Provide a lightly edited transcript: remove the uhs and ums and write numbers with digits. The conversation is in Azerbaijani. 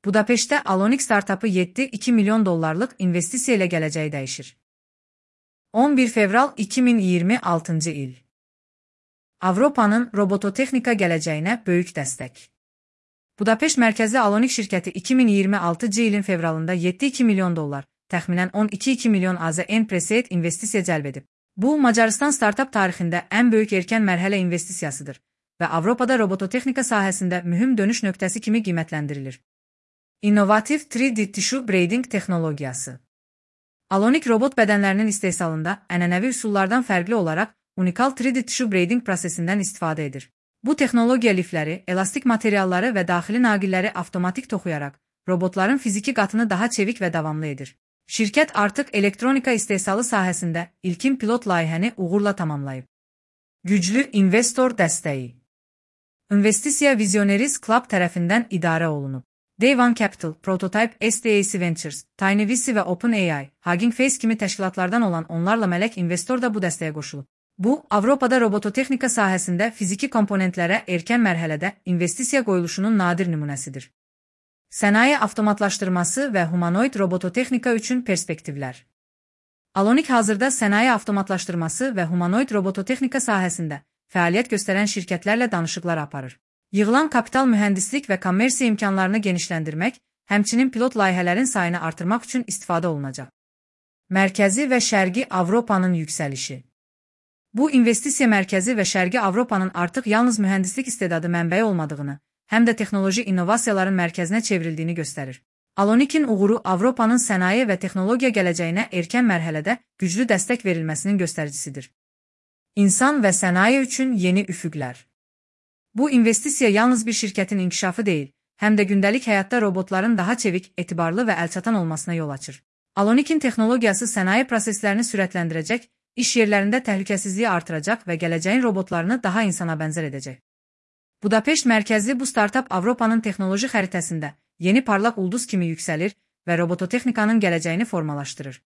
Budapeşt'te Alonik startupı 7,2 milyon dollarlık investisiya ilə gələcəyi dəyişir. 11 fevral 2026 il. Avropanın robototexnika gələcəyinə böyük dəstək. Budapeşt mərkəzli Alonik şirkəti 2026 ilin fevralında 7,2 milyon dollar, təxminən 12,2 milyon AZN Preseed investisiya cəlb edib. Bu, Macarıstan startup tarixində ən böyük erkən mərhələ investisiyasıdır və Avropada robototexnika sahəsində mühüm dönüş nöqtəsi kimi qiymətləndirilir. İnnovativ 3D tissue braiding texnologiyası. Alonik robot bədənlərinin istehsalında ənənəvi üsullardan fərqli olaraq unikal 3D tissue braiding prosesindən istifadə edir. Bu texnologiya lifləri, elastik materialları və daxili naqilləri avtomatik toxuyaraq robotların fiziki qatını daha çevik və davamlı edir. Şirkət artıq elektronika istehsalı sahəsində ilkin pilot layihəni uğurla tamamlayıb. Güclü investor dəstəyi. İnvestisiya Visionaries Club tərəfindən idarə olunub. Day One Capital, Prototype SDAC Ventures, TinyVC və OpenAI, Hugging Face kimi təşkilatlardan olan onlarla mələk investor da bu dəstəyə qoşulub. Bu, Avropada robototexnika sahəsində fiziki komponentlərə erkən mərhələdə investisiya qoyuluşunun nadir nümunəsidir. Sənaye avtomatlaşdırması və humanoid robototexnika üçün perspektivlər. Alonik hazırda sənaye avtomatlaşdırması və humanoid robototexnika sahəsində fəaliyyət göstərən şirkətlərlə danışıqlar aparır. Yığılan kapital mühəndislik və kommersiya imkanlarını genişləndirmək, həmçinin pilot layihələrin sayını artırmaq üçün istifadə olunacaq. Mərkəzi və Şərqi Avropanın yüksəlişi. Bu, investisiya mərkəzi və Şərqi Avropanın artıq yalnız mühəndislik istedadı mənbəyi olmadığını, həm də texnoloji innovasiyaların mərkəzinə çevrildiyini göstərir. Alonikin uğuru Avropanın sənaye və texnologiya gələcəyinə erkən mərhələdə güclü dəstək verilməsinin göstəricisidir. İnsan və sənaye üçün yeni üfüqlər. Bu investisiya yalnız bir şirkətin inkişafı deyil, həm də gündəlik həyatda robotların daha çevik, etibarlı və əlçatan olmasına yol açır. Alonikin texnologiyası sənaye proseslərini sürətləndirəcək, iş yerlərində təhlükəsizliyi artıracaq və gələcəyin robotlarını daha insana bənzər edəcək. Budapeşt mərkəzli bu startup Avropanın texnoloji xəritəsində yeni parlaq ulduz kimi yüksəlir və robototexnikanın gələcəyini formalaşdırır.